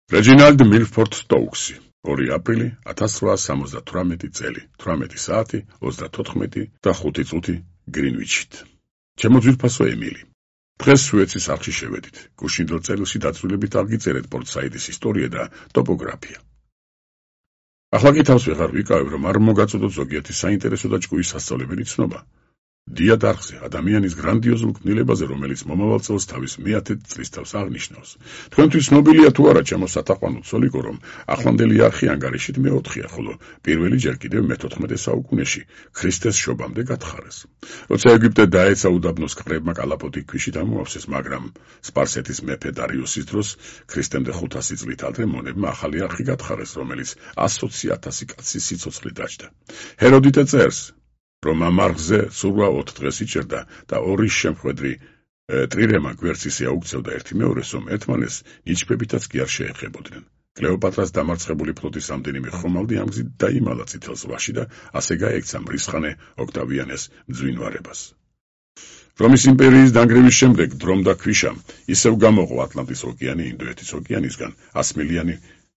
Reginald Milford Stokes, 2 აპრილი 1878 წელი, 18 საათი 34 და 5 წუთი გრინვიჩით. ჩემო ძვირფასო ემილი, დღეს სუეცის არხში შევედით. გუშინდელ წერილში დაწვრილებით აღგიწერეთ პორტსაიდის ისტორია და ტოპოგრაფია. ახლა კი თავს ვეღარ ვიკავებ, რომ არ მოგაწოდოთ ზოგიერთი საინტერესო და ჭკუის სასწავლებელი ცნობა. დიად არხზე ადამიანის გრანდიოზულ ქმნილებაზე, რომელიც მომავალ წელს თავის 110 წლის თავს აღნიშნავს. თქვენთვის ცნობილია თუ არა, ჩემო სათაყვანო ცოლიკო, რომ ახლანდელი არხი ანგარიშით მე-4-ია, ხოლო პირველი ჯერ კიდევ მე-14 საუკუნეში ქრისტეს შობამდე გათხარეს. როცა ეგვიპტე დაეცა უდაბნოს კრებმა კალაპოტი ქვიშით ამოავსეს, მაგრამ სპარსეთის მეფე დარიოსის დროს ქრისტემდე 500 წლით ადრე მონებმა ახალი არხი გათხარეს, რომელიც 120,000 კაცის სიცოცხლე დაჯდა. ჰეროდიტე წერს, რომ ამ არხზე სულ 4 დღეს იჭერდა და 2 შემხვედრი ტრირემა გვერდს აუქცევდა ერთი-მეორეს, რომ ერთმანეს ნიჩბებითაც კი არ შეეხებოდნენ. კლეოპატრას დამარცხებული ფლოტის რამდენიმე ხომალდი ამ გზით დაიმალა წითელ ზღვაში და ასე გაექცა მრისხანე ოქტავიანეს მძვინვარებას. რომის იმპერიის დანგრევის შემდეგ დრომ და ქვიშამ ისევ გამოყო ატლანტის ოკეანე ინდოეთის ოკეანისგან 100 მილიანი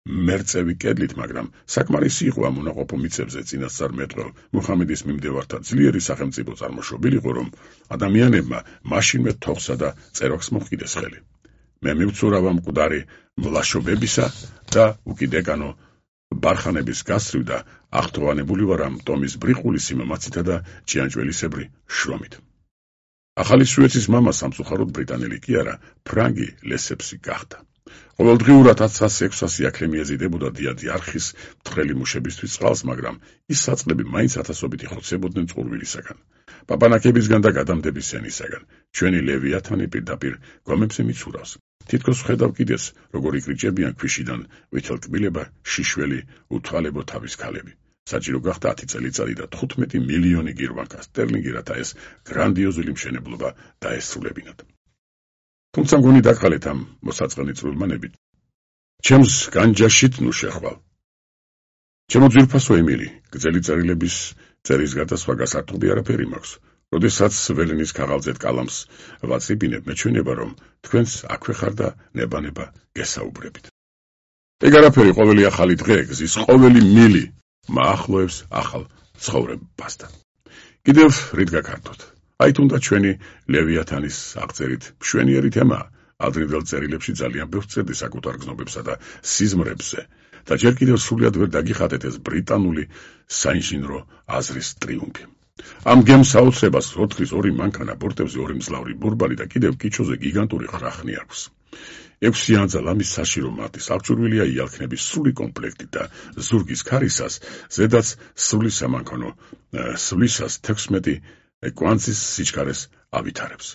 მერწევი კედლით, მაგრამ საკმარისი იყო ამ უნაყოფო მიწებზე წინასწარ მეტყველ მუჰამედის მიმდევართა ძლიერი სახელმწიფო წარმოშობილიყო, რომ ადამიანებმა მაშინვე თოხსა და წეროხს მოჰყიდეს ხელი. მე მივცურავ ამ მკვდარი მლაშობებისა და უკიდეკანო ბარხანების გასწრივ და აღთოვანებული ვარ ამ ტომის ბრიყული სიმამაცითა და ჭიანჭველისებრი შრომით. ახალი სუეცის მამა სამწუხაროდ ბრიტანელი კი არა, ფრანგი ლესეპსი გახდა. ყოველდღიურად 1600 აქლემი ეზიდებოდა დიადი არხის მთხრელი მუშებისთვის წყალს, მაგრამ ის საწყლები მაინც ათასობით იხოცებოდნენ წყურვილისაგან, პაპანაკებისგან და გადამდების სენისაგან. ჩვენი ლევიათანი პირდაპირ გვამებზე მიცურავს. თითქოს ვხედავ კიდეს, როგორ იკრიჭებიან ქვიშიდან ვითელკბილება, შიშველი, უთვალებო თავის ქალები. საჭირო გახდა 10 წელიწადი და 15 მილიონი გირვანკა სტერლინგი, რათა ეს გრანდიოზული მშენებლობა დაესრულებინათ. თუმცა მგონი დაგყალეთ ამ მოსაწყენი წვრილმანებით. ჩემს განჯაშით ნუ შეხვალ. ჩემო ძვირფასო ემილი, გრძელი წერილების წერის გარდა სხვა გასართობი არაფერი მაქვს. როდესაც ველენის ქაღალდზე კალამს ვაწიფინებ, მეჩვენება, რომ თქვენს აქვე ხარ და ნება-ნება გესაუბრებით. ეგ არაფერი, ყოველი ახალი დღე, გზის ყოველი მილი მაახლოებს ახალ ცხოვრებასთან. კიდევ რით გაქართოთ? აი თუნდა ჩვენი ლევიათანის აღწერით მშვენიერი თემაა. ადრინდელ წერილებში ძალიან ბევრს წერდი საკუთარ გზნობებსა და სიზმრებზე და ჯერ კიდევ სრულად ვერ დაგიხატეთ ეს ბრიტანული საინჟინრო აზრის ტრიუმფი. ამ გემს საოცრებას 4-2 მანქანა, ბორტებზე 2 მძლავრი ბურბალი და კიდევ კიჩოზე გიგანტური ხრახნი აქვს. 6 ანძა ლამის საშირო მარტის აღჭურვილია იალქნების სრული კომპლექტი და ზურგის ქარისას, ზედაც სრული სამანქანო სვლისას 16 კვანძის სიჩქარეს ავითარებს.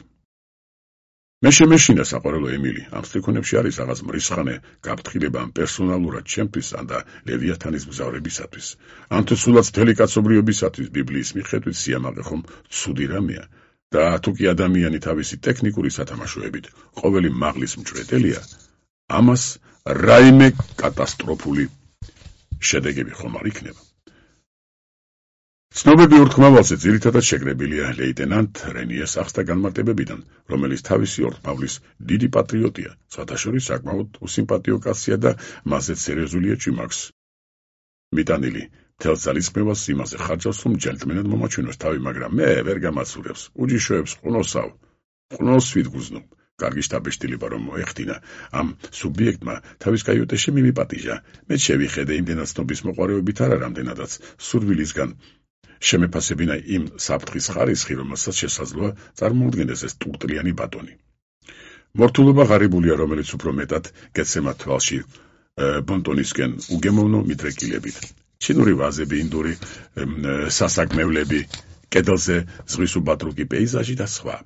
მე შემეშინა საყვარელო ემილი, ამ სტრიქონებში არის რაღაც მრისხანე გაფრთხილება ამ პერსონალურად ჩემთვის ან და ლევიათანის მგზავრებისათვის. ან თუ სულაც მთელი კაცობრიობისათვის ბიბლიის მიხედვით სიამაყე ხომ ცუდი რამეა და თუ კი ადამიანი თავისი ტექნიკური სათამაშოებით ყოველი მაღლის მჭვრეტელია, ამას რაიმე კატასტროფული შედეგები ხომ არ იქნება. ცნობები ურთმავალზე ძირითადად შეკრებილია ლეიტენანტ რენიეს ახს და განმარტებებიდან, რომელიც თავისი ორთმავლის დიდი პატრიოტია, სხვათა შორის საკმაოდ უსიმპათიო კაცია და მასზე სერიოზულია ჭიმაქვს მიტანილი. მთელ ძალისხმევას იმაზე ხარჯავს, რომ ჯენტლმენად მომაჩვენოს თავი, მაგრამ მე ვერ გამაცურებს. უჯიშოებს ყნოსავ, ყნოს ვიდგუზნობ. კარგი შტაბეშტილება რომ მოეხდინა ამ სუბიექტმა თავის კაიუტეში მიმიპატიჟა. მე შევიხედე იმდენად ცნობის მოყვარეობით არა, რამდენადაც სურვილისგან შემეფასებინა იმ საფრთხის ხარისხი, რომელსაც შესაძლოა წარმოუდგენდეს ეს ტურტლიანი ბატონი. მორთულობა ღარიბულია, რომელიც უფრო მეტად გეცემა თვალში ბონტონისკენ უგემოვნო მიდრეკილებით. ჩინური ვაზები, ინდური სასაკმევლები, კედელზე ზღვის უბადრუკი პეიზაჟი და სხვა.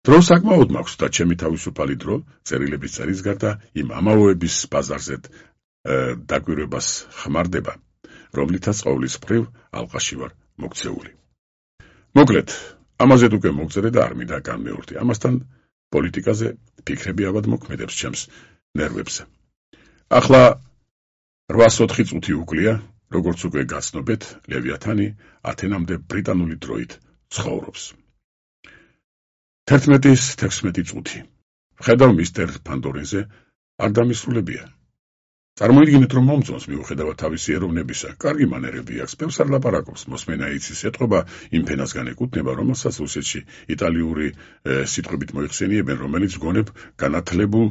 დრო საკმაოდ მაქვს და ჩემი თავისუფალი დრო წერილების წერის გარდა იმ ამაოების ბაზარზე დაკვირვებას ხმარდება, რომლითაც ყოვლის მხრივ ალყაში ვარ მოქცეული. მოკლედ, ამაზედ უკვე მოგწერე და არ მინდა განმეორდე. ამასთან პოლიტიკაზე ფიქრები ავად მოქმედებს ჩემს ნერვებზე. ახლა 804 წუთი უკლია, როგორც უკვე გაცნობეთ, ლევიათანი ათენამდე ბრიტანული დროით ცხოვრობს. 11-16 წუთი. ვხედავ მისტერ ფანდორინზე, არ დამისრულებია. წარმოიდგინეთ, რომ მომწონს მიუხედავად თავისი ეროვნებისა, კარგი მანერები აქვს, ბევრს არ ლაპარაკობს, მოსმენა იცის, ეტყობა იმ ფენასგან ეკუთვნება, რომელსაც რუსეთში იტალიური სიტყვებით მოიხსენიებენ, რომელიც გონებ განათლებულ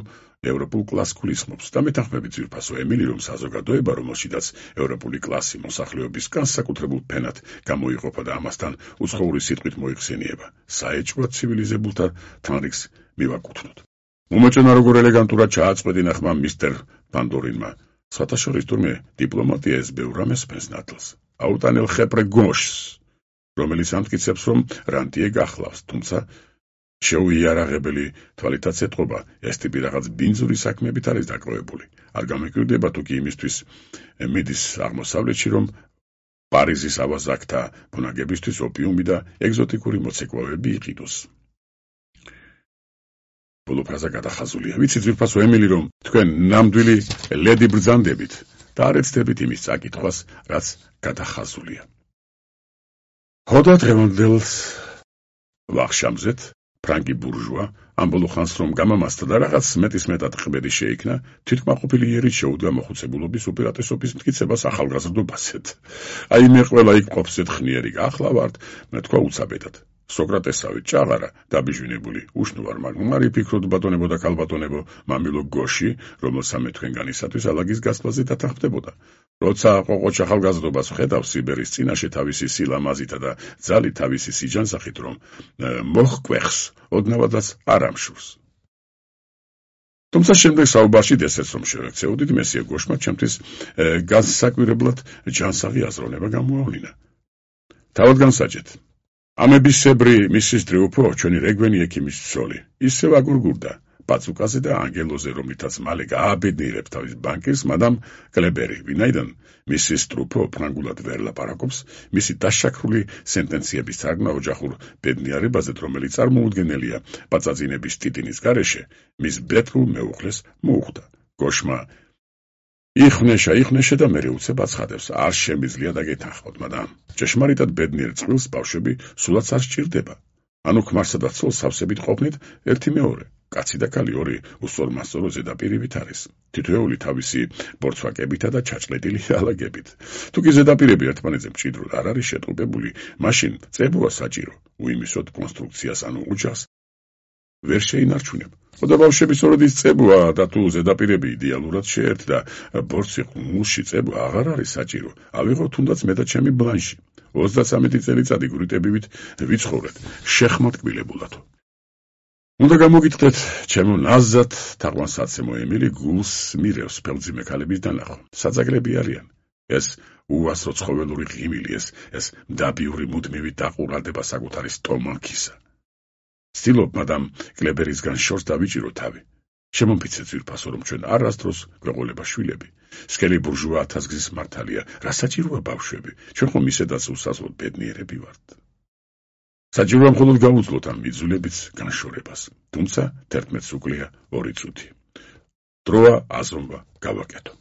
ევროპულ კლასს გულისხმობს და მეთანხმებით ძვირფასო ემილი, რომ საზოგადოება, რომელშიდაც ევროპული კლასი მოსახლეობის განსაკუთრებულ ფენად გამოიყოფა და ამასთან უცხოური სიტყვით მოიხსენიება, საეჭვოდ ცივილიზებულთა თანრიგს მივაკუთვნოთ. უმოჭენა როგორ ელეგანტურად ჩააწყვეტინა ხმა მისტერ პანდორინმა. სხვათა შორის თურმე დიპლომატია ეს ბევრ რამეს ფენს ნათლს. აუტანელ ხეპრე გოშს, რომელიც ამტკიცებს, რომ რანტიე გახლავს, თუმცა შეუიარაღებელი თვალითაც ეტყობა, ეს ტიპი რაღაც ბინძური საქმეებით არის დაკავებული. არ გამეკვირდება თუ კი იმისთვის მიდის აღმოსავლეთში, რომ პარიზის ავაზაკთა ბუნაგებისთვის ოპიუმი და ეგზოტიკური მოცეკვავეები იყიდოს. ბოლო ფრაზა გადახაზულია. ვიცი ძვირფასო ემილი, რომ თქვენ ნამდვილი ლედი ბრძანდებით და არ ეცდებით იმის წაკითხვას, რაც გადახაზულია. ხოდა დღევანდელს ვახშამზეთ ფრანკი ბურჟუა ამ ბოლო ხანს რომ გამამასდა და რაღაც მეტისმეტად ყბედი შეიქმნა, თვითკმაყოფილი იერით შეუდგა მოხუცებულობის უპირატესობის მტკიცებას ახალგაზრდობასეთ. აი მე ყველა იქ ყოფსეთ ხნიერი ახლა ვართ, მე თქვა უცაბედად. სოკრატესავით ჭაღარა დაბიჟვინებული უშნო ვარ, მაგრამ არ იფიქროთ ბატონებო და ქალბატონებო, მამილო გოში, რომელსაც მე თქვენგანისათვის ალაგის გასვლაზე დათანხმდებოდა. როცა ყოყოჩ ახალგაზრდობას ვხედავ სიბერის წინაშე თავისი სილამაზითა და ძალით თავისი სიჯანსაღით, რომ მოჰკვეხს, ოდნავადაც არ ამშურს. თუმცა შემდეგ საუბარში ესეც რომ შევექცეოდით, მესიე გოშმა ჩემთვის განსაკვირებლად ჯანსაღი აზროვნება გამოავლინა. თავად განსაჯეთ. ამებისებრი მისის დრიუფო, ჩვენი რეგვენი ექიმის ცოლი, ისევ აგურგურდა პაცუკაზე და ანგელოზე, რომლითაც მალე გააბედნიერებს თავის ბანკირს, მადამ კლებერი, ვინაიდან მისის ტრუფო ფრანგულად ვერ ლაპარაკობს, მისი დაშაქრული სენტენციების თარგმნა ოჯახურ ბედნიერებაზე, რომელიც წარმოუდგენელია პაწაწინების ტიტინის გარეშე, მის ბეთლულ მეუღლეს მოუხდა. გოშმა იხვნეშა და მერე უცებ აცხადებს, არ შემიძლია დაგეთანხმოთ, მაგრამ ჭეშმარიტად ბედნიერ წყვილს ბავშვები სულაც არ სჭირდება. ანუ ქმარსა და ცოლს სავსებით ყოფნით ერთი მეორე. კაცი და ქალი ორი უსწორმასწორო ზედაპირივით არის. თითოეული თავისი ბორცვაკებითა და ჩაჭლეტილი ალაგებით. თუ კი ზედაპირები ერთმანეთზე მჭიდროდ არ არის შეტყობებული, მაშინ წებოა საჭირო უიმისოდ კონსტრუქციას ანუ ოჯახს ვერ შეინარჩუნებ. ხოდა ბავშვები სწორედ ის წებოა და თუ ზედაპირები იდეალურად შეერთ და ბორცვი ყმულში წებო აღარ არის საჭირო, ავიღო თუნდაც მე და ჩემი ბლანში. 33 წელიწადი გვრიტებივით ვიცხოვრეთ შეხმატკბილებულად. უნდა გამოგიტყდეთ ჩემო ნაზად თაყვანსაცემო ემილი გულს მირევს ფელძიმე ქალების დანახვა. საძაგლები არიან. ეს უასრო ცხოველური ღიმილი, ეს მდაბიური მუდმივი დაყურადება საკუთარი სტომაქისა. ცდილობ მადამ კლებერისგან შორს დავიჭირო თავი. შემომფიცეთ ძვირფასო, რომ ჩვენ არასდროს გვეყოლება შვილები. სკელი ბურჟუა ათასგზის მართალია, რა საჭიროა ბავშვები? ჩვენ ხომ ისედაც უსასვლოდ ბედნიერები ვართ. საჭიროა მხოლოდ გავუძლოთ ამ მიძულებიც განშორებას. თუმცა 11 უკლია 2 წუთი. დროა აზრობა გავაკეთო.